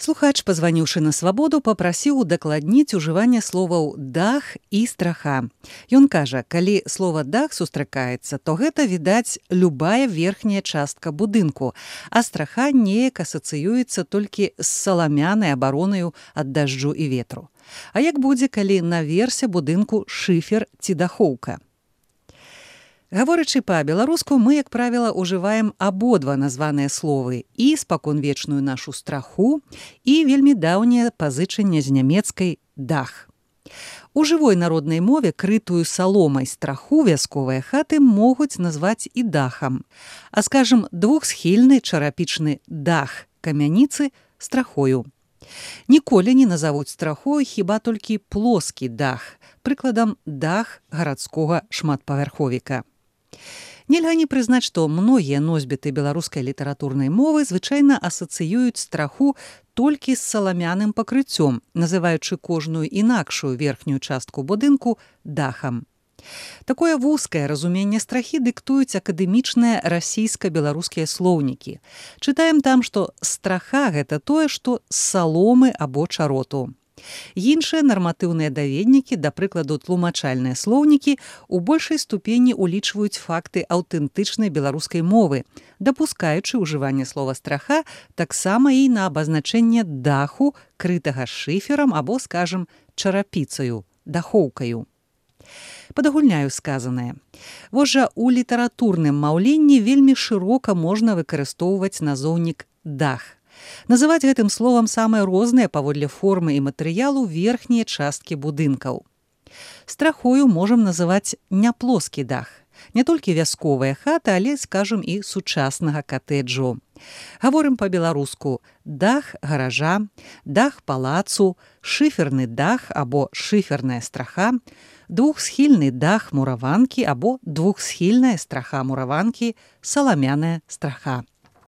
Слухач, пазваніўшы на свабоду, папрасіў удакладніць ужыванне словаў «дах» і «страха». Ён кажа, калі слова «дах» сустракаецца, то гэта, відаць, любая верхняя частка будынку, а страха неяк асацыюецца толькі з саламянай абаронаю ад дажджу і ветру. А як будзе, калі наверсе будынку шыфер ці дахоўка? Гаворачы па-беларуску, мы, як правіла, ужываем абодва названыя словы і спаконвечную нашу страху, і вельмі даўняе пазычанне з нямецкай «дах». У жывой народнай мове крытую саломай страху вясковыя хаты могуць назваць і дахам, а, скажам, двухсхільны чарапічны дах камяніцы страхою. Ніколі не назавуць страхою хіба толькі плоскі дах, прыкладам, дах гарадскога шматпавярховіка. Нельга не прызнаць, што многія носьбіты беларускай літаратурнай мовы звычайна асацыююць страху толькі з саламяным пакрыццём, называючы кожную інакшую верхнюю частку будынку дахам. Такое вузкае разуменне страхі дыктуюць акадэмічныя расійска-беларускія слоўнікі. Чытаем там, што страха – гэта тое, што з саломы або чароту. Іншыя нарматыўныя даведнікі, да прыкладу тлумачальныя слоўнікі, у большай ступені улічваюць факты аўтэнтычнай беларускай мовы, дапускаючы ўжыванне слова «страха» таксама і на абазначэнне даху, крытага шыферам або, скажам, чарапіцаю, дахоўкаю. Падагульняю сказанае. Вось жа у літаратурным маўленні вельмі шырока можна выкарыстоўваць назоўнік «дах». Называць гэтым словам самыя розныя паводле формы і матэрыялу верхнія часткі будынкаў. Страхою можам называць няплоскі дах. Не толькі вясковая хата, але, скажам, і сучаснага катэджу. Гаворым па-беларуску дах гаража, дах палацу, шыферны дах або шыферная страха, двухсхільны дах мураванкі або двухсхільная страха мураванкі, саламяная страха.